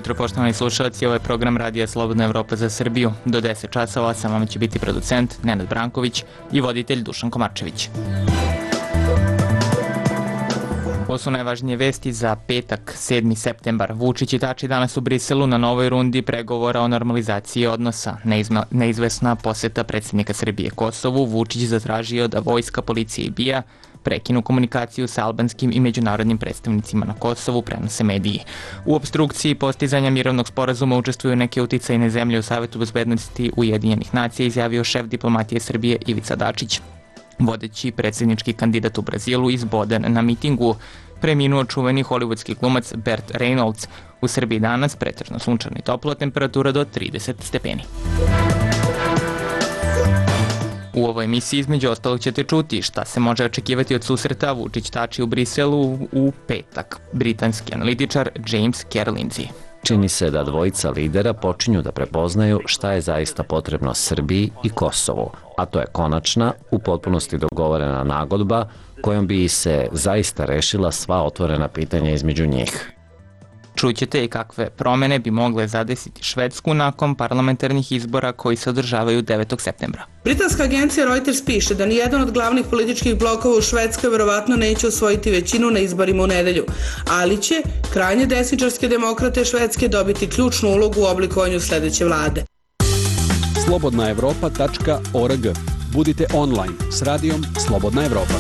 jutro, poštovani slušalci, ovo je program Radija Slobodna Evropa za Srbiju. Do 10 časova sa vama će biti producent Nenad Branković i voditelj Dušan Komarčević. Ovo su najvažnije vesti za petak, 7. septembar. Vučić i Tači danas u Briselu na novoj rundi pregovora o normalizaciji odnosa. Neizvesna poseta predsjednika Srbije Kosovu, Vučić zatražio da vojska, policija i BIA prekinu komunikaciju sa albanskim i međunarodnim predstavnicima na Kosovu, prenose mediji. U opstrukciji postizanja mirovnog sporazuma učestvuju neke uticajne zemlje u Savetu bezbednosti Ujedinjenih nacija, izjavio šef diplomatije Srbije Ivica Dačić. Vodeći predsjednički kandidat u Brazilu izboden na mitingu, preminuo čuveni hollywoodski glumac Burt Reynolds. U Srbiji danas pretežno sunčano i toplo, temperatura do 30 stepeni. U ovoj emisiji između ostalog ćete čuti šta se može očekivati od susreta Vučić-Tači u Briselu u petak. Britanski analitičar James Lindsay. Čini se da dvojica lidera počinju da prepoznaju šta je zaista potrebno Srbiji i Kosovu, a to je konačna, u potpunosti dogovorena nagodba kojom bi se zaista rešila sva otvorena pitanja između njih. Čućete i kakve promene bi mogle zadesiti Švedsku nakon parlamentarnih izbora koji se održavaju 9. septembra. Britanska agencija Reuters piše da nijedan od glavnih političkih blokova u Švedskoj verovatno neće osvojiti većinu na izborima u nedelju, ali će krajnje desničarske demokrate Švedske dobiti ključnu ulogu u oblikovanju sledeće vlade. slobodnaevropa.org. Budite online s radijom Slobodna Evropa.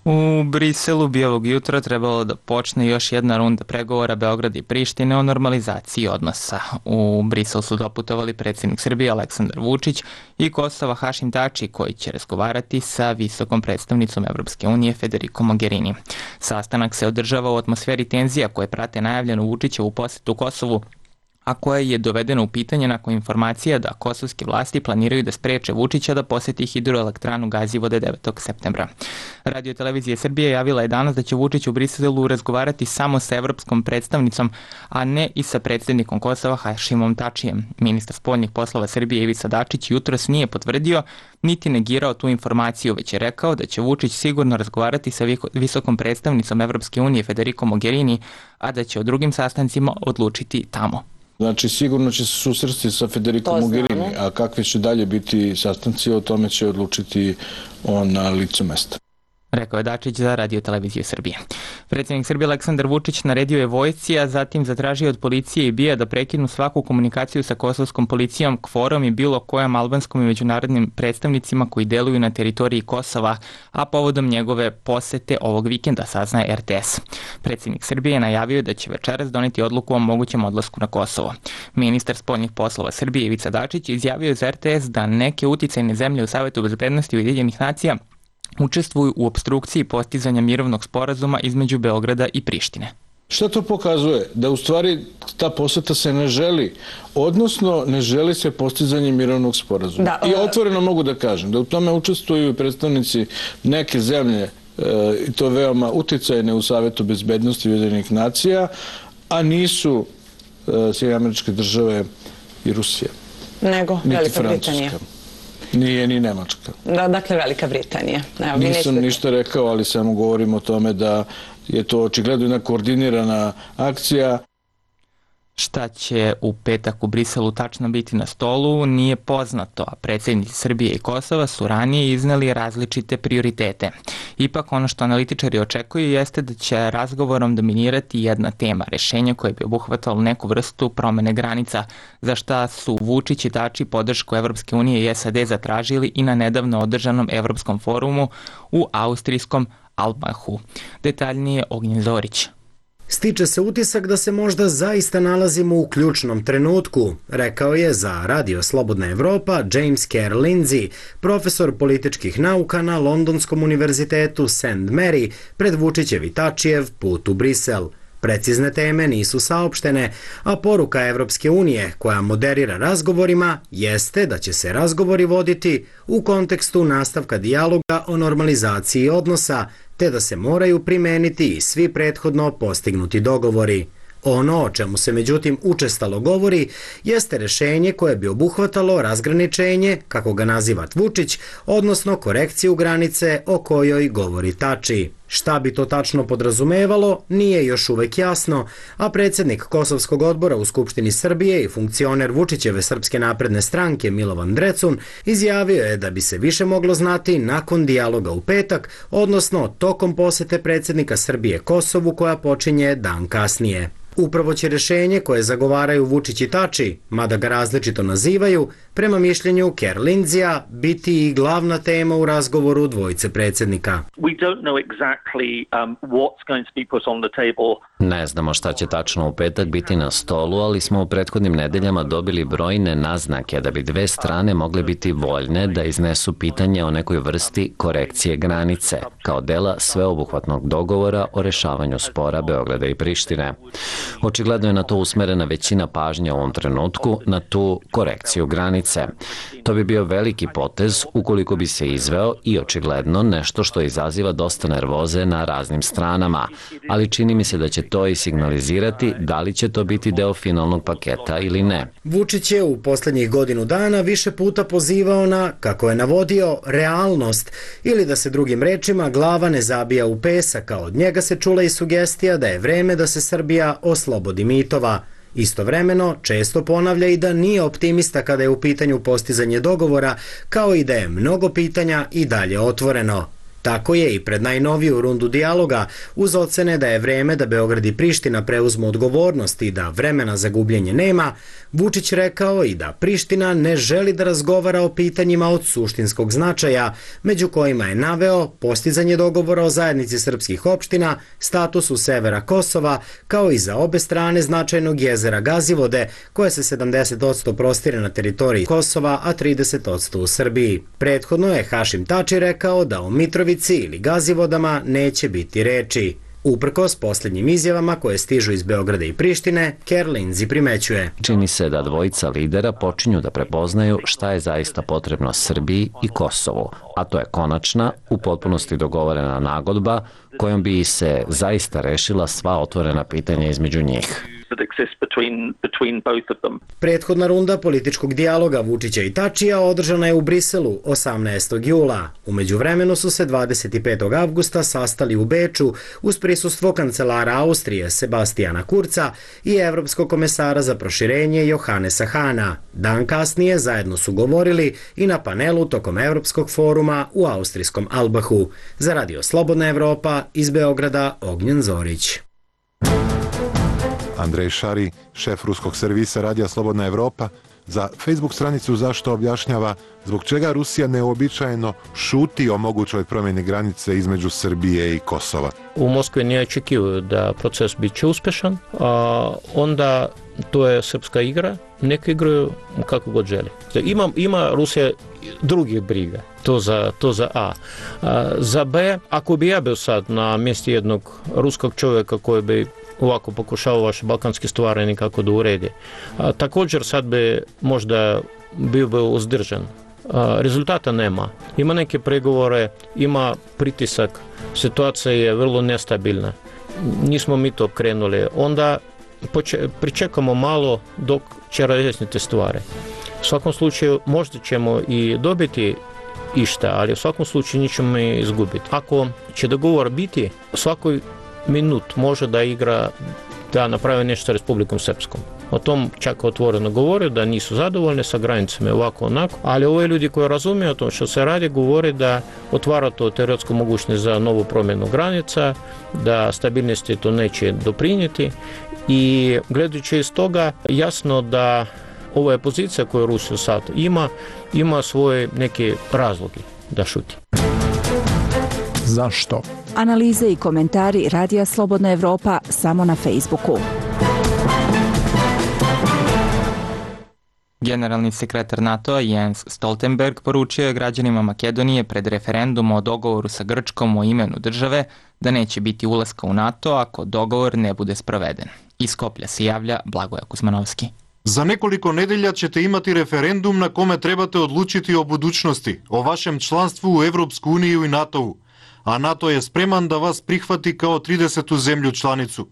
U Briselu bi ovog jutra trebalo da počne još jedna runda pregovora Beograda i Prištine o normalizaciji odnosa. U Brisel su doputovali predsjednik Srbije Aleksandar Vučić i Kosova Hašim Tači, koji će razgovarati sa visokom predstavnicom Evropske unije Federico Mogherini. Sastanak se održava u atmosferi tenzija koje prate najavljenu Vučićevu posetu Kosovu, a koja je dovedena u pitanje nakon informacija da kosovske vlasti planiraju da spreče Vučića da poseti hidroelektranu Gazivode 9. septembra. Radio televizije Srbije javila je danas da će Vučić u Briselu razgovarati samo sa evropskom predstavnicom, a ne i sa predsjednikom Kosova Hašimom Tačijem. Ministar spoljnih poslova Srbije Ivica Dačić jutros nije potvrdio niti negirao tu informaciju, već je rekao da će Vučić sigurno razgovarati sa visokom predstavnicom Evropske unije Federico Mogherini, a da će o drugim sastancima odlučiti tamo. Znači, sigurno će se susresti sa Federico Mogherini, a kakvi će dalje biti sastanci, o tome će odlučiti on na licu mesta. Rekao je Dačić za Radio televiziju Srbije. Predsjednik Srbije Aleksandar Vučić naredio je vojsci, a zatim zatražio od policije i BIA da prekinu svaku komunikaciju sa kosovskom policijom, KFOR-om i bilo kojom albanskom i međunarodnim predstavnicima koji deluju na teritoriji Kosova, a povodom njegove posete ovog vikenda, saznaje RTS. Predsjednik Srbije je najavio da će večeras doneti odluku o mogućem odlasku na Kosovo. Ministar spoljnih poslova Srbije Ivica Dačić izjavio za RTS da neke uticajne zemlje u Savetu bezbednosti Ujedinjenih nacija učestvuju u opstrukciji postizanja mirovnog sporazuma između Beograda i Prištine. Šta to pokazuje? Da u stvari ta poseta se ne želi, odnosno ne želi se postizanje mirovnog sporazuma. I otvoreno mogu da kažem da u tome učestvuju predstavnici neke zemlje, i to veoma uticajne u Savetu bezbednosti Ujedinjenih nacija, a nisu Sjedinjene Američke Države i Rusija. Nego Velika Britanija. Nije ni Nemačka. Dakle, Velika Britanija. Nisam ništa rekao, ali samo govorim o tome da je to očigledno jedna koordinirana akcija. Šta će u petak u Briselu tačno biti na stolu nije poznato, a predsjednici Srbije i Kosova su ranije izneli različite prioritete. Ipak ono što analitičari očekuju jeste da će razgovorom dominirati jedna tema, rešenje koje bi obuhvatalo neku vrstu promene granica, za šta su Vučić i Tači podršku Evropske unije i SAD zatražili i na nedavno održanom Evropskom forumu u austrijskom Albachu. Detaljnije Ognjen Zorić. Stiče se utisak da se možda zaista nalazimo u ključnom trenutku, rekao je za Radio Slobodna Evropa James Lindsay, profesor političkih nauka na Londonskom univerzitetu St. Mary, pred Vučićev i Tačijev put u Brisel. Precizne teme nisu saopštene, a poruka Evropske unije, koja moderira razgovorima, jeste da će se razgovori voditi u kontekstu nastavka dijaloga o normalizaciji odnosa, te da se moraju primeniti i svi prethodno postignuti dogovori. Ono o čemu se međutim učestalo govori jeste rešenje koje bi obuhvatalo razgraničenje, kako ga naziva Vučić, odnosno korekciju granice o kojoj govori Tači. Šta bi to tačno podrazumevalo, nije još uvek jasno, a predsjednik Kosovskog odbora u Skupštini Srbije i funkcioner Vučićeve Srpske napredne stranke Milovan Drecun izjavio je da bi se više moglo znati nakon dijaloga u petak, odnosno tokom posete predsjednika Srbije Kosovu koja počinje dan kasnije. Upravo će rešenje koje zagovaraju Vučić i Tači, mada ga različito nazivaju, prema mišljenju Kerr Lindsija biti i glavna tema u razgovoru dvojice predsjednika. Ne znamo šta će tačno u petak biti na stolu, ali smo u prethodnim nedeljama dobili brojne naznake da bi dve strane mogle biti voljne da iznesu pitanje o nekoj vrsti korekcije granice, kao dela sveobuhvatnog dogovora o rešavanju spora Beograda i Prištine. Očigledno je na to usmerena većina pažnje u ovom trenutku, na tu korekciju granice. To bi bio veliki potez ukoliko bi se izveo i očigledno nešto što izaziva dosta nervoze na raznim stranama, ali čini mi se da će to i signalizirati da li će to biti deo finalnog paketa ili ne. Vučić je u posljednjih godinu dana više puta pozivao na, kako je navodio, realnost ili da se drugim rečima glava ne zabija u pesak, a od njega se čula i sugestija da je vreme da se Srbija oslobodi mitova. Istovremeno, često ponavlja i da nije optimista kada je u pitanju postizanje dogovora, kao i da je mnogo pitanja i dalje otvoreno. Tako je i pred najnoviju rundu dijaloga, uz ocene da je vreme da Beograd i Priština preuzmu odgovornost i da vremena za gubljenje nema, Vučić rekao i da Priština ne želi da razgovara o pitanjima od suštinskog značaja, među kojima je naveo postizanje dogovora o zajednici srpskih opština, statusu severa Kosova, kao i za obe strane značajnog jezera Gazivode, koje se 70% prostire na teritoriji Kosova, a 30% u Srbiji. Prethodno je Hašim Tači rekao da o Mitrovici ili Gazivodama neće biti reči. Uprkos posljednjim izjavama koje stižu iz Beograda i Prištine, Kerr Lindsey primećuje. Čini se da dvojica lidera počinju da prepoznaju šta je zaista potrebno Srbiji i Kosovu, a to je konačna, u potpunosti dogovorena nagodba kojom bi se zaista rešila sva otvorena pitanja između njih. Prethodna runda političkog dijaloga Vučića i Tačija održana je u Briselu 18. jula. U međuvremenu su se 25. avgusta sastali u Beču uz prisustvo kancelara Austrije Sebastijana Kurca i evropskog komesara za proširenje Johannesa Hana. Dan kasnije zajedno su govorili i na panelu tokom Evropskog foruma u austrijskom Albahu. Za Radio Slobodna Evropa iz Beograda Ognjen Zorić. Andrej Šari, šef ruskog servisa Radija Slobodna Evropa, za Facebook stranicu Zašto objašnjava zbog čega Rusija neuobičajeno šuti o mogućoj promjeni granice između Srbije i Kosova. U Moskvi ne očekuju da proces biće uspešan, a onda to je srpska igra, neka igraju kako god želi. Ima Rusija drugih briga, to za A. Za B, ako bi ja bio sad na mjestu jednog ruskog čovjeka koji bi ovako pokušao vaše balkanske stvari nekako da uredi. Također sad bi možda bio uzdržan. Rezultata nema. Ima neke pregovore, ima pritisak, situacija je vrlo nestabilna. Nismo mi to krenuli. Onda pričekamo malo dok će razjasniti stvari. U svakom slučaju možda ćemo i dobiti išta, ali u svakom slučaju nećemo izgubiti. Ako će dogovor biti, svakoj minut može da igra, da napravi nešto sa Republikom Srpskom. O tom čak otvoreno govore, da nisu zadovoljni sa granicama ovako onako, ali ove ljudi koji razumiju o tom što se radi, govore da otvara to teoretsku mogućnost za novu promjenu granica, da stabilnosti to neće doprinijeti i gledajući iz toga jasno da ova pozicija koju Rusija sad ima svoje neke razloge da šuti. Zašto? Analize i komentari Radija Slobodna Evropa samo na Facebooku. Generalni sekretar NATO-a Jens Stoltenberg poručio je građanima Makedonije pred referendum o dogovoru sa Grčkom o imenu države da neće biti ulaska u NATO ako dogovor ne bude sproveden. Iz Skoplja se javlja Blagoje Kuzmanovski. За неколико неделја ćete imati referendum na kome trebate odlučiti o budućnosti, o vašem članstvu u Evropsku uniju i NATO-u, a NATO je spreman da vas prihvati kao 30. zemlju članicu.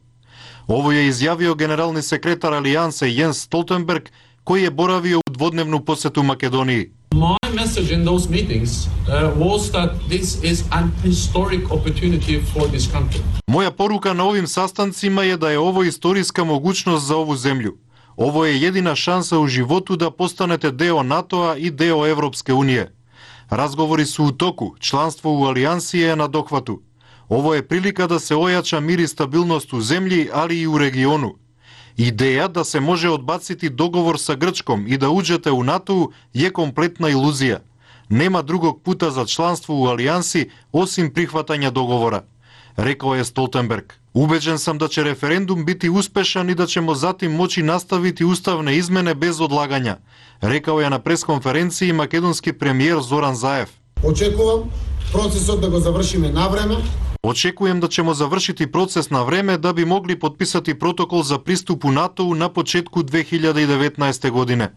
Ovo je izjavio generalni sekretar Alijanse Jens Stoltenberg, koji je boravio u dvodnevnu posetu Makedoniji. My message in those meetings was that this is an historic opportunity for this country. Moja poruka na ovim sastancima je da je ovo istorijska mogućnost za ovu zemlju. Ovo je jedina šansa u životu da postanete deo NATO-a i deo Evropske unije. Razgovori su u toku, članstvo u alijansi je na dohvatu. Ovo je prilika da se ojača mir i stabilnost u zemlji, ali i u regionu. Ideja da se može odbaciti dogovor sa Grčkom i da uđete u NATO je kompletna iluzija. Nema drugog puta za članstvo u alijansi osim prihvatanja dogovora, rekao je Stoltenberg. Ubeđen sam da će referendum biti uspešan i da ćemo zatim moći nastaviti ustavne izmene bez odlaganja, rekao je na preskonferenciji makedonski premijer Zoran Zaev. Očekujem procesot da ga završime na vreme. Očekujem da ćemo završiti proces na vreme da bi mogli potpisati protokol za pristup u NATO-u na početku 2019. godine.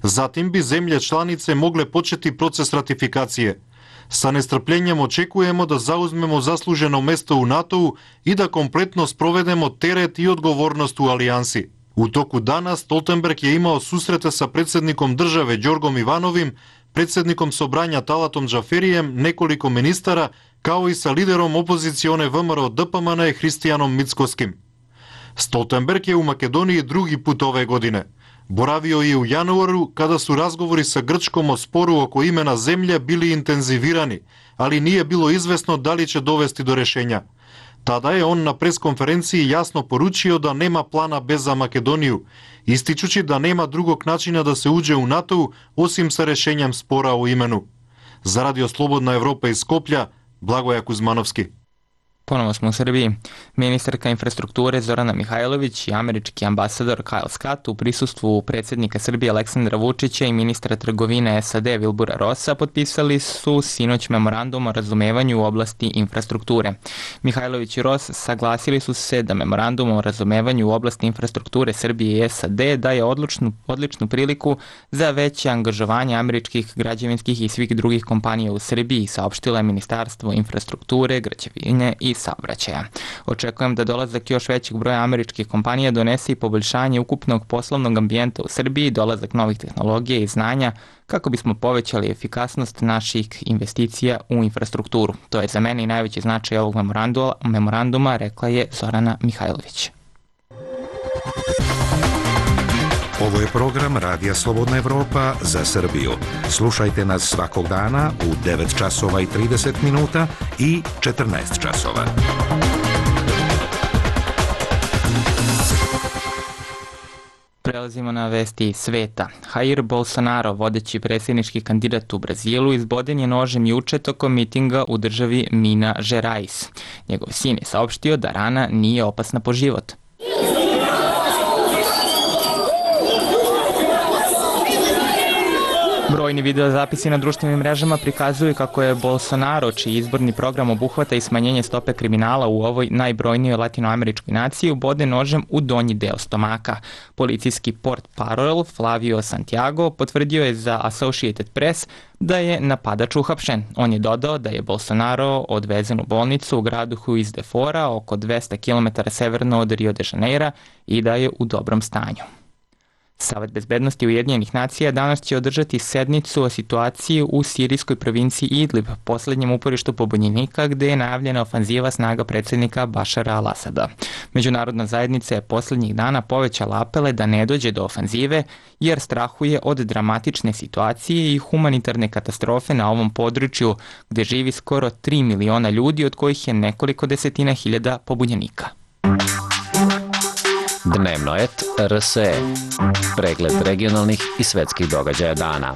Zatim bi zemlje članice mogle početi proces ratifikacije. Sa nestrpljenjem očekujemo da zauzmemo zasluženo mesto u NATO-u i da kompletno sprovedemo teret i odgovornost u alijansi. U toku dana Stoltenberg je imao susrete sa predsjednikom države Đorgom Ivanovim, predsjednikom Sobranja Talatom Džaferijem, nekoliko ministara, kao i sa liderom opozicione VMRO DPMN Hristijanom Mickoskim. Stoltenberg je u Makedoniji drugi put ove godine. Boravio je u januaru kada su razgovori sa Grčkom o sporu oko imena zemlje bili intenzivirani, ali nije bilo izvesno da li će dovesti do rešenja. Tada je on na preskonferenciji jasno poručio da nema plana B za Makedoniju, ističući da nema drugog načina da se uđe u NATO osim sa rešenjem spora o imenu. Za Radio Slobodna Evropa iz Skoplja, Blagoja Kuzmanovski. Ponovo smo u Srbiji. Ministarka infrastrukture Zorana Mihajlović i američki ambasador Kyle Scott u prisustvu predsjednika Srbije Aleksandra Vučića i ministra trgovine SAD Wilbura Rossa potpisali su sinoć memorandum o razumevanju u oblasti infrastrukture. Mihajlović i Ross saglasili su se da memorandum o razumevanju u oblasti infrastrukture Srbije i SAD daje odličnu priliku za veće angažovanje američkih građevinskih i svih drugih kompanija u Srbiji, saopštilo je Ministarstvo infrastrukture, građevine i saobraćaja. Očekujem da dolazak još većeg broja američkih kompanija donese i poboljšanje ukupnog poslovnog ambijenta u Srbiji, dolazak novih tehnologija i znanja kako bismo povećali efikasnost naših investicija u infrastrukturu. To je za mene i najveći značaj ovog memoranduma, rekla je Zorana Mihajlović. Ovo je program Radija Slobodna Evropa za Srbiju. Slušajte nas svakog dana u 9 časova i 30 minuta i 14 časova. Prelazimo na vesti sveta. Jair Bolsonaro, vodeći predsjednički kandidat u Brazilu, izboden je nožem juče tokom mitinga u državi Minas Gerais. Njegov sin je saopštio da rana nije opasna po život. Brojni videozapisi na društvenim mrežama prikazuju kako je Bolsonaro, čiji izborni program obuhvata i smanjenje stope kriminala u ovoj najbrojnijoj latinoameričkoj naciji, ubode nožem u donji deo stomaka. Policijski portparol Flavio Santiago potvrdio je za Associated Press da je napadač uhapšen. On je dodao da je Bolsonaro odvezen u bolnicu u gradu Juiz de Fora, oko 200 km severno od Rio de Janeira, i da je u dobrom stanju. Savet bezbednosti Ujedinjenih nacija danas će održati sednicu o situaciji u sirijskoj provinciji Idlib, poslednjem uporištu pobunjenika gde je najavljena ofanziva snaga predsjednika Bašara al-Asada. Međunarodna zajednica je poslednjih dana povećala apele da ne dođe do ofanzive jer strahuje od dramatične situacije i humanitarne katastrofe na ovom području gde živi skoro 3 miliona ljudi, od kojih je nekoliko desetina hiljada pobunjenika. Dnevno et RSE. Pregled regionalnih i svetskih događaja dana.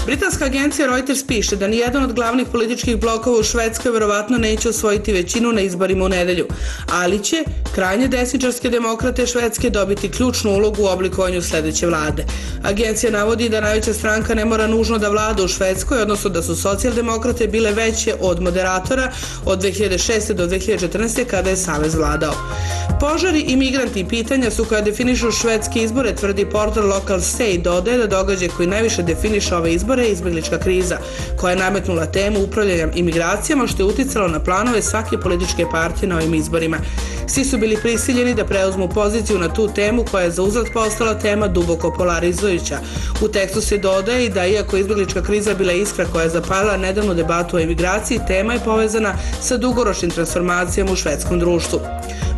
Britanska agencija Reuters piše da nijedan od glavnih političkih blokova u Švedskoj verovatno neće osvojiti većinu na izborima u nedelju, ali će krajnje desničarske demokrate Švedske dobiti ključnu ulogu u oblikovanju sledeće vlade. Agencija navodi da najveća stranka ne mora nužno da vlada u Švedskoj, odnosno da su socijaldemokrate bile veće od moderatora od 2006. do 2014. kada je Savez vladao. Požari i migranti pitanja su koja definišu švedske izbore, tvrdi portal Local Say, dodaje da događaj koji najviše definiše ove izbore je izbeglička kriza, koja je nametnula temu upravljanja imigracijama, što je uticalo na planove svake političke partije na ovim izborima. Svi su bili prisiljeni da preuzmu poziciju na tu temu koja je za uzvrat postala tema duboko polarizujuća. U tekstu se dodaje i da iako izbeglička kriza bila iskra koja je zapalila nedavnu debatu o imigraciji, tema je povezana sa dugoročnim transformacijama u švedskom društvu.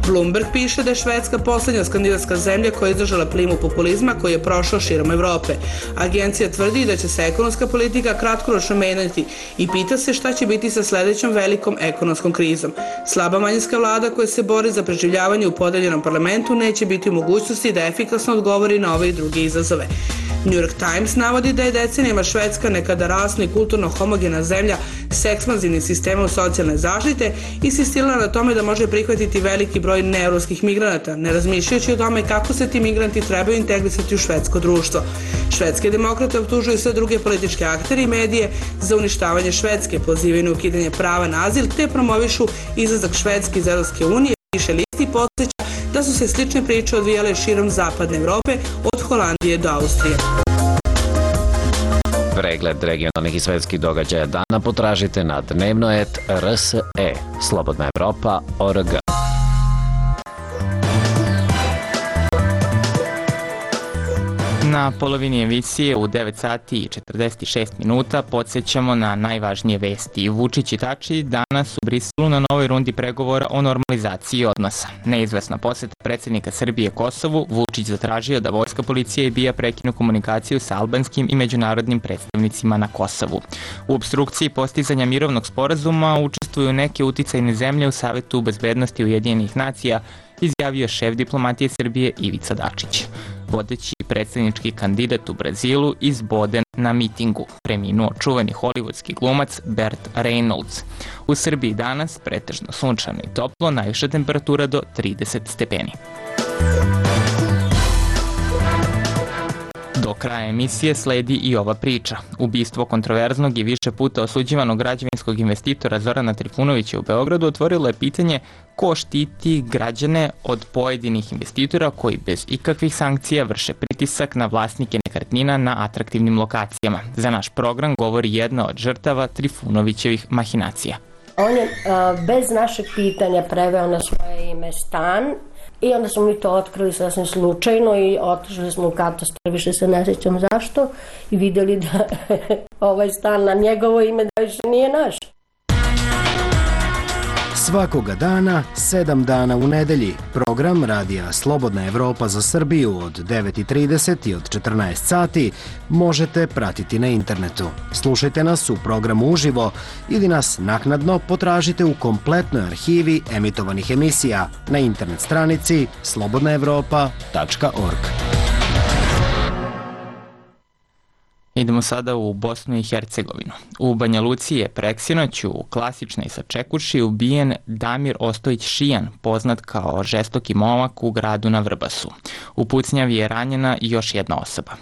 Bloomberg piše da je Švedska poslednja skandinavska zemlja koja je izdržala plimu populizma koji je prošao širom Evrope. Agencija tvrdi da će se ekonomska politika kratkoročno menjati i pita se šta će biti sa sledećom velikom ekonomskom krizom. Slaba manjinska vlada koja se bori za preživljavanje u podeljenom parlamentu neće biti u mogućnosti da efikasno odgovori na ove i druge izazove. New York Times navodi da je decenijama Švedska nekada rasno i kulturno homogena zemlja s ekspanzivnim sistemom socijalne zaštite insistirala na tome da može prihvatiti veliki broj neevropskih migranata, ne razmišljajući o tome kako se ti migranti trebaju integrisati u švedsko društvo. Švedske demokrate optužuju sve druge političke aktere i medije za uništavanje Švedske, pozivaju na ukidanje prava na azil te promovišu izlazak Švedske iz Evropske unije. Više listi podsjeća da su se slične priče odvijale širom zapadne Evrope, od Holandije do Austrije. Pregled regionalnih i svetskih događaja dana potražite na dnevnoet.rse, slobodnaevropa.org. Na polovini emisije u 9 sati i 46 minuta podsjećamo na najvažnije vesti. Vučić i Tači danas u Briselu na novoj rundi pregovora o normalizaciji odnosa. Neizvesna poseta predsjednika Srbije Kosovu, Vučić zatražio da vojska, policija i BIA prekinu komunikaciju sa albanskim i međunarodnim predstavnicima na Kosovu. U opstrukciji postizanja mirovnog sporazuma učestvuju neke uticajne zemlje u Savetu bezbednosti Ujedinjenih nacija, izjavio šef diplomatije Srbije Ivica Dačić. Vodeći predsjednički kandidat u Brazilu izboden na mitingu, preminuo čuveni hollywoodski glumac Burt Reynolds. U Srbiji danas pretežno sunčano i toplo, najviša temperatura do 30 stepeni. Do kraja emisije sledi i ova priča. Ubistvo kontroverznog i više puta osuđivanog građevinskog investitora Zorana Trifunovića u Beogradu otvorilo je pitanje ko štiti građane od pojedinih investitora koji bez ikakvih sankcija vrše pritisak na vlasnike nekretnina na atraktivnim lokacijama. Za naš program govori jedna od žrtava Trifunovićevih mahinacija. On je bez našeg pitanja preveo na svoje ime stan i onda smo mi to otkrili sasvim slučajno i otišli smo u katastar, više se ne sjećam zašto, i vidjeli da ovaj stan na njegovo ime da više nije naš. Svakoga dana, 7 dana u nedelji, program Radija Slobodna Evropa za Srbiju od 9:30 i od 14 sati možete pratiti na internetu. Slušajte nas u programu uživo ili nas naknadno potražite u kompletnoj arhivi emitovanih emisija na internet stranici slobodnaevropa.org. Idemo sada u Bosnu i Hercegovinu. U Banja Luci je preksinoć u klasičnoj sačekuši ubijen Damir Ostojić Šijan, poznat kao žestoki momak u gradu na Vrbasu. U pucnjavi je ranjena još jedna osoba.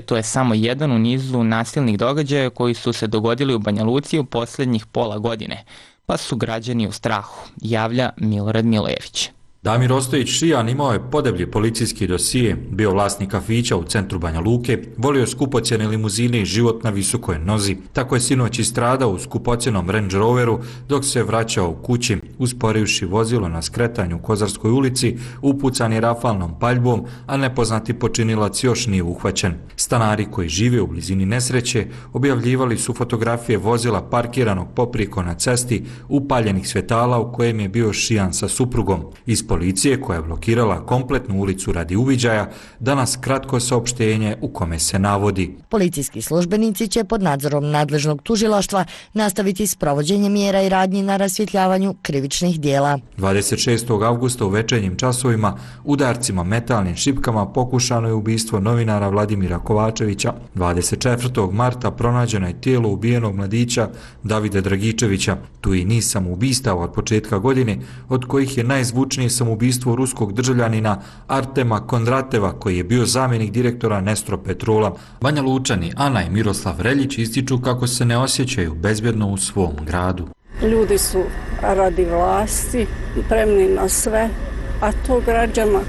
To je samo jedan u nizu nasilnih događaja koji su se dogodili u Banja Luci u posljednjih pola godine, pa su građani u strahu, javlja Milorad Milojević. Damir Ostojić Šijan imao je podeblji policijski dosije, bio vlasnik kafića u centru Banja Luke, volio skupocjene limuzine i život na visokoj nozi. Tako je sinoć istradao u skupocjenom Range Roveru dok se vraćao u kući, usporivši vozilo na skretanju u Kozarskoj ulici, upucan je rafalnom paljbom, a nepoznati počinilac još nije uhvaćen. Stanari koji žive u blizini nesreće objavljivali su fotografije vozila parkiranog poprijeko na cesti, upaljenih svjetala u kojem je bio Šijan sa suprugom. Iz policije, koja je blokirala kompletnu ulicu radi uviđaja, danas kratko saopštenje u kome se navodi: policijski službenici će pod nadzorom nadležnog tužilaštva nastaviti s provođenjem mjera i radnji na rasvjetljavanju krivičnih dijela. 26. avgusta u večernjim časovima udarcima metalnim šipkama pokušano je ubistvo novinara Vladimira Kovačevića. 24. marta pronađeno je tijelo ubijenog mladića Davida Dragičevića. Tu i niz samoubistava od početka godine, od kojih je najzvučnije samoubistvo ruskog državljanina Artema Kondrateva, koji je bio zamjenik direktora Nestro Petrola. Banja Lučani Ana i Miroslav Reljić ističu kako se ne osjećaju bezbjedno u svom gradu. Ljudi su radi vlasti spremni na sve, a to građana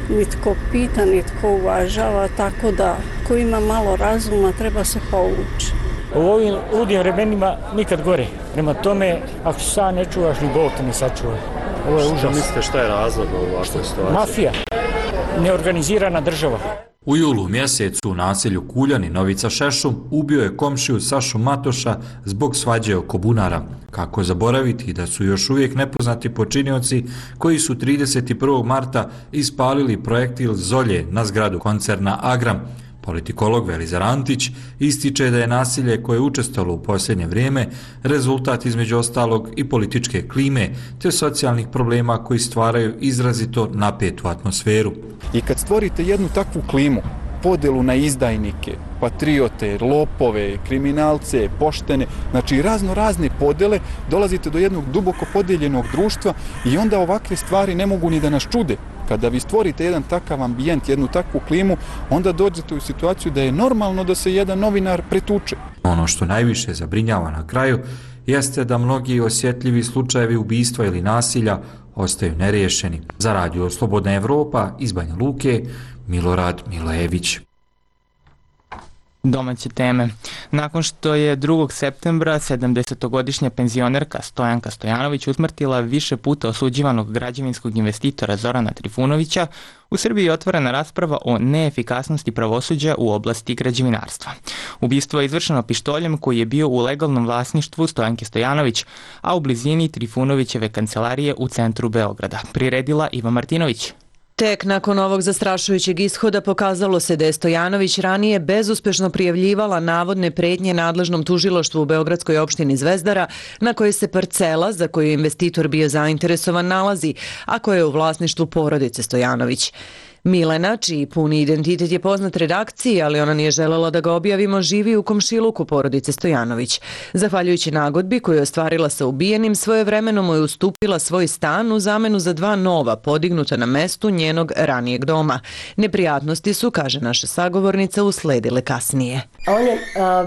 nitko pita, nitko uvažava, tako da ko ima malo razuma treba se povući. U ovim ludim vremenima nikad gore. Prema tome, ako se sam ne čuvaš, ni Bog te ne sačuva. Ovo je užas. Što mislite, šta je razlog u ovakvoj situaciji? Mafija, neorganizirana država. U julu mjesecu u naselju Kuljani Novica Šešum ubio je komšiju Sašu Matoša zbog svađe oko bunara. Kako zaboraviti da su još uvijek nepoznati počinioci koji su 31. marta ispalili projektil Zolje na zgradu koncerna Agram. Politikolog Velizar Antić ističe da je nasilje koje je učestvovalo u posljednje vrijeme rezultat između ostalog i političke klime te socijalnih problema koji stvaraju izrazito napetu atmosferu. I kad stvorite jednu takvu klimu, podelu na izdajnike, patriote, lopove, kriminalce, poštene, znači razne podele, dolazite do jednog duboko podijeljenog društva i onda ovakve stvari ne mogu ni da nas čude. Kada vi stvorite jedan takav ambijent, jednu takvu klimu, onda dođete u situaciju da je normalno da se jedan novinar pretuče. Ono što najviše zabrinjava na kraju jeste da mnogi osjetljivi slučajevi ubistva ili nasilja ostaju neriješeni. Za Radio Slobodna Evropa iz Banja Luke, Milorad Milojević. Domaće teme. Nakon što je 2. septembra 70-godišnja penzionerka Stojanka Stojanović usmrtila više puta osuđivanog građevinskog investitora Zorana Trifunovića, u Srbiji je otvorena rasprava o neefikasnosti pravosuđa u oblasti građevinarstva. Ubistvo je izvršeno pištoljem koji je bio u legalnom vlasništvu Stojanke Stojanović, a u blizini Trifunovićeve kancelarije u centru Beograda. Priredila Iva Martinović. Tek nakon ovog zastrašujućeg ishoda pokazalo se da je Stojanović ranije bezuspešno prijavljivala navodne pretnje nadležnom tužilaštvu u Beogradskoj opštini Zvezdara, na kojoj se parcela za koju je investitor bio zainteresovan nalazi, a koja je u vlasništvu porodice Stojanović. Milena, čiji puni identitet je poznat redakciji, ali ona nije želela da ga objavimo, živi u komšiluku porodice Stojanović. Zahvaljujući nagodbi koju je ostvarila sa ubijenim, svojevremeno mu je ustupila svoj stan u zamenu za 2 nova, podignuta na mestu njenog ranijeg doma. Neprijatnosti su, kaže naša sagovornica, usledile kasnije. On je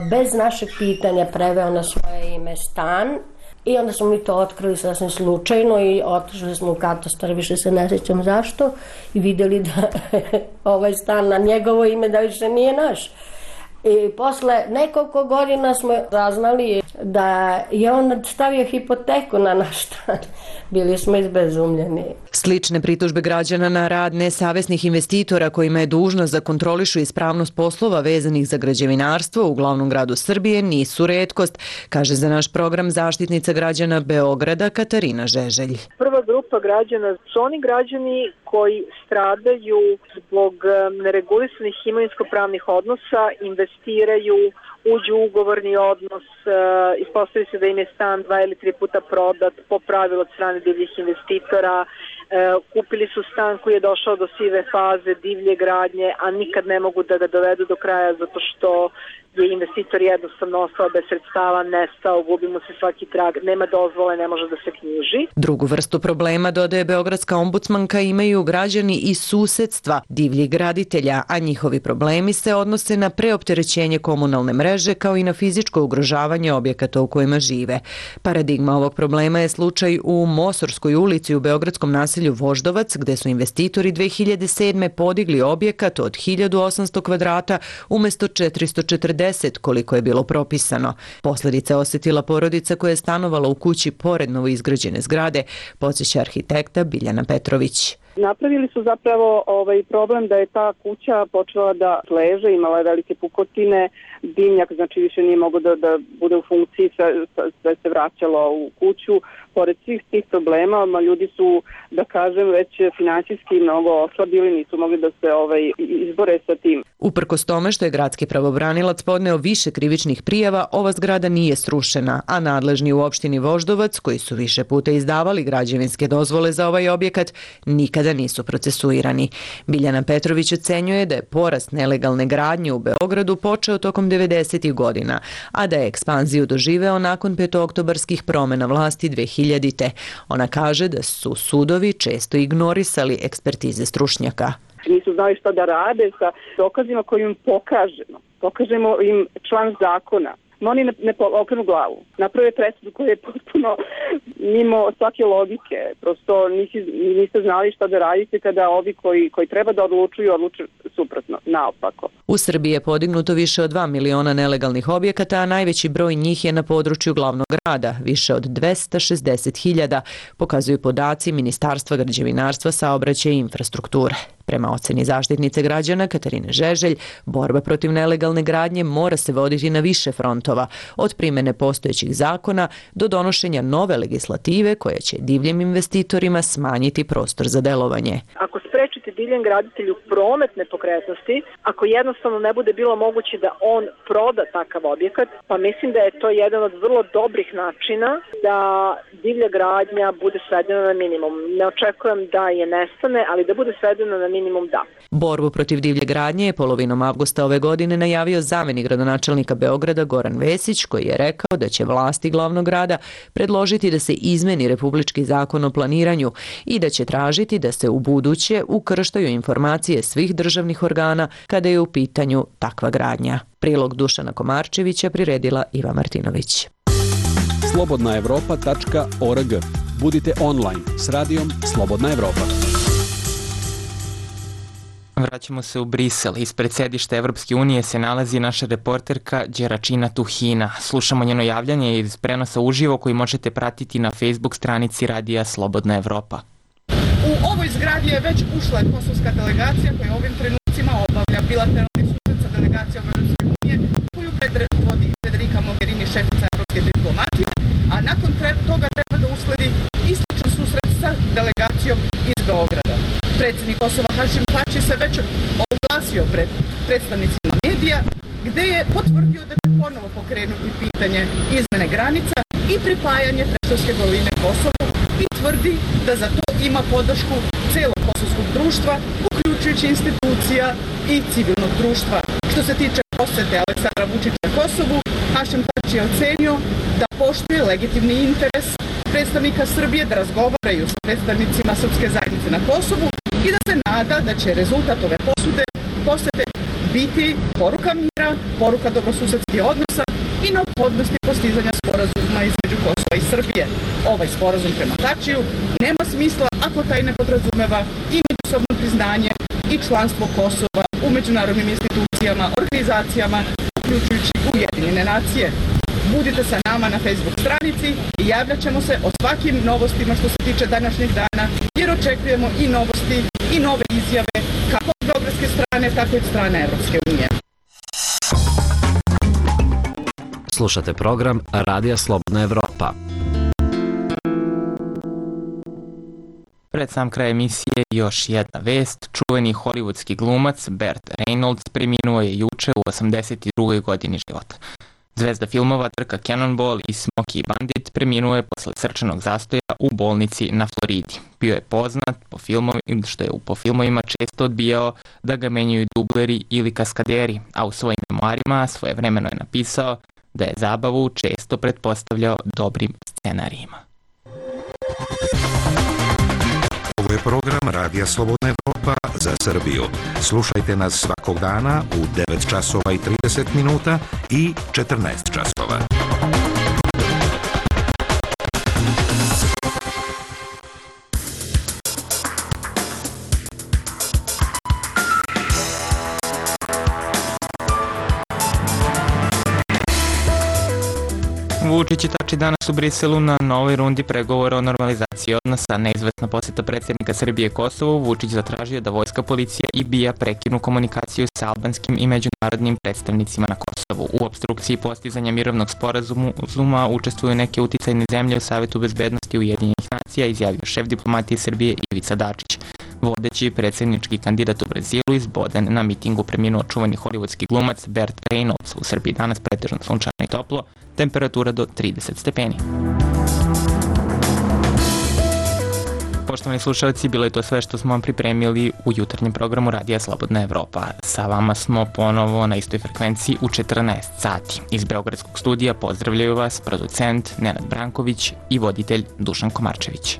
bez našeg pitanja preveo na svoje ime stan. I onda smo mi to otkrili sasvim slučajno i otišli smo u katastar, više se ne sjećam zašto, i vidjeli da ovaj stan na njegovo ime da više nije naš. I posle nekoliko godina smo saznali da je on stavio hipoteku na naš stan. Bili smo izbezumljeni. Slične pritužbe građana na rad nesavesnih investitora kojima je dužnost da kontrolišu ispravnost poslova vezanih za građevinarstvo u glavnom gradu Srbije nisu retkost, kaže za naš program zaštitnica građana Beograda Katarina Žeželj. Prva grupa građana su oni građani koji stradaju zbog neregulisanih imovinsko-pravnih odnosa, investiraju, uđu u ugovorni odnos, ispostavi se da im je stan 2 ili 3 puta prodat po pravilu od strane divljih investitora, kupili su stan koji je došao do sive faze, divlje gradnje, a nikad ne mogu da ga dovedu do kraja zato što je investitor jednostavno ostao bez sredstava, nestao, gubi mu se svaki trag, nema dozvole, ne može da se knjiži. Drugu vrstu problema, dodaje beogradska ombudsmanka, imaju građani iz susedstva divljih graditelja, a njihovi problemi se odnose na preopterećenje komunalne mreže kao i na fizičko ugrožavanje objekata u kojima žive. Paradigma ovog problema je slučaj u Mosorskoj ulici u beogradskom naselju Voždovac, gde su investitori 2007. podigli objekat od 1800 kvadrata umjesto 440 koliko je bilo propisano. Posljedice osjetila porodica koja je stanovala u kući pored novoizgrađene zgrade, podsjeća arhitekta Biljana Petrović. Napravili su zapravo problem da je ta kuća počela da leže, imala je velike pukotine, dimnjak znači više nije mogao da bude u funkciji, sve se vraćalo u kuću. Pored svih tih problema, ljudi su, da kažem, već finansijski mnogo oslabili, nisu mogli da se izbore sa tim. Uprkos tome što je gradski pravobranilac podneo više krivičnih prijava, ova zgrada nije srušena, a nadležni u opštini Voždovac, koji su više puta izdavali građevinske dozvole za ovaj objekat, nikada nisu procesuirani. Biljana Petrović ocenjuje da je porast nelegalne gradnje u Beogradu počeo tokom 90. godina, a da je ekspanziju doživeo nakon petooktobarskih promjena vlasti 2000. Ona kaže da su sudovi često ignorisali ekspertize stručnjaka. Nisu znali šta da rade sa dokazima koje im pokažemo im član zakona, no oni ne okrenu glavu. Naprave presudu koja je potpuno mimo svake logike. Prosto niste znali šta da radite kada ovi koji treba da odlučuju suprotno, naopako. U Srbiji je podignuto više od 2 miliona nelegalnih objekata, a najveći broj njih je na području glavnog grada, više od 260.000, pokazuju podaci Ministarstva građevinarstva, saobraćaja i infrastrukture. Prema oceni zaštitnice građana Katarine Žeželj, borba protiv nelegalne gradnje mora se voditi na više frontova, od primene postojećih zakona do donošenja nove legislative koja će divljim investitorima smanjiti prostor za delovanje. Ako sprečite divljem graditelju promet nepokretnosti, ako jednostavno ne bude bilo moguće da on proda takav objekat, pa mislim da je to jedan od vrlo dobrih načina da divlja gradnja bude svedena na minimum. Ne očekujem da je nestane, ali da bude svedena na minimum, da. Borbu protiv divlje gradnje je polovinom avgusta ove godine najavio zamenik gradonačelnika Beograda Goran Vesić, koji je rekao da će vlasti glavnog grada predložiti da se izmeni Republički zakon o planiranju i da će tražiti da se u buduće ukrštaju informacije svih državnih organa kada je u pitanju takva gradnja. Prilog Dušana Komarčevića priredila Iva Martinović. slobodnaevropa.org. Budite online s radijom Slobodna Evropa. Vraćamo se u Brisel. Ispred sedišta Evropske unije se nalazi naša reporterka Đeračina Tuhina. Slušamo njeno javljanje iz prenosa uživo koji možete pratiti na Facebook stranici Radija Slobodna Evropa. U ovoj zgradi je već ušla kosovska delegacija koja ovim trenucima obavlja bilateralni susret sa delegacijom Evropske unije koju predvodi Federica Mogherini, šefica evropske diplomatije, a nakon toga treba da usledi istočan susret sa delegacijom iz Beograda. Predsjednik Kosova Hašim Tači se već oglasio pred predstavnicima medija gde je potvrdio da će ponovo pokrenuti pitanje izmene granica i pripajanje Preševske doline Kosovu i tvrdi da za to ima podršku celog kosovskog društva, uključujući institucija i civilnog društva. Što se tiče posete Aleksandra Vučića Kosovu, Hašim Tači je ocenio da poštuje legitimni interes predstavnika Srbije da razgovaraju sa predstavnicima srpske zajednice na Kosovu i da se nada da će rezultat ove posete biti poruka mira, poruka dobrosusedskih odnosa i neophodnosti postizanja sporazuma između Kosova i Srbije. Ovaj sporazum prema Tačiju nema smisla ako taj ne podrazumeva i međusobno priznanje i članstvo Kosova u međunarodnim institucijama, organizacijama, uključujući Ujedinjene nacije. Budite sa nama na Facebook stranici i javljat ćemo se o svakim novostima što se tiče današnjeg dana, jer očekujemo i novosti i nove izjave kako od beogradske strane, tako i od strane Evropske unije. Slušate program Radija Slobodna Evropa. Pred sam kraj emisije još jedna vest. Čuveni hollywoodski glumac Burt Reynolds preminuo je juče u 82. godini života. Zvezda filmova Trka Cannonball i Smokey Bandit preminuo je posle srčanog zastoja u bolnici na Floridi. Bio je poznat što je po filmovima često odbijao da ga menjaju dubleri ili kaskaderi, a u svojim memoarima svojevremeno je napisao da je zabavu često pretpostavljao dobrim scenarijima. Ovo je program Radija Slobodna Evropa za Srbiju. Slušajte nas svakog dana u 9 časova i 30 minuta i 14 časova. Vučić i Tači danas u Briselu na novoj rundi pregovora o normalizaciji odnosa. Neizvesna posjeta predsjednika Srbije Kosovu, Vučić zatražio da vojska, policija i BIA prekinu komunikaciju sa albanskim i međunarodnim predstavnicima na Kosovu. U opstrukciji postizanja mirovnog sporazuma učestvuju neke uticajne zemlje u Savetu bezbednosti Ujedinjenih nacija, izjavio šef diplomatije Srbije Ivica Dačić. Vodeći predsjednički kandidat u Brazilu izboden na mitingu preminuo čuveni hollywoodski glumac Burt Reynolds. U Srbiji danas pretežno sunčano i toplo, temperatura do 30 stepeni. Poštovani slušalci, bilo je to sve što smo vam pripremili u jutarnjem programu Radija Slobodna Evropa. Sa vama smo ponovo na istoj frekvenciji u 14 sati. Iz Beogradskog studija pozdravljaju vas producent Nenad Branković i voditelj Dušan Komarčević.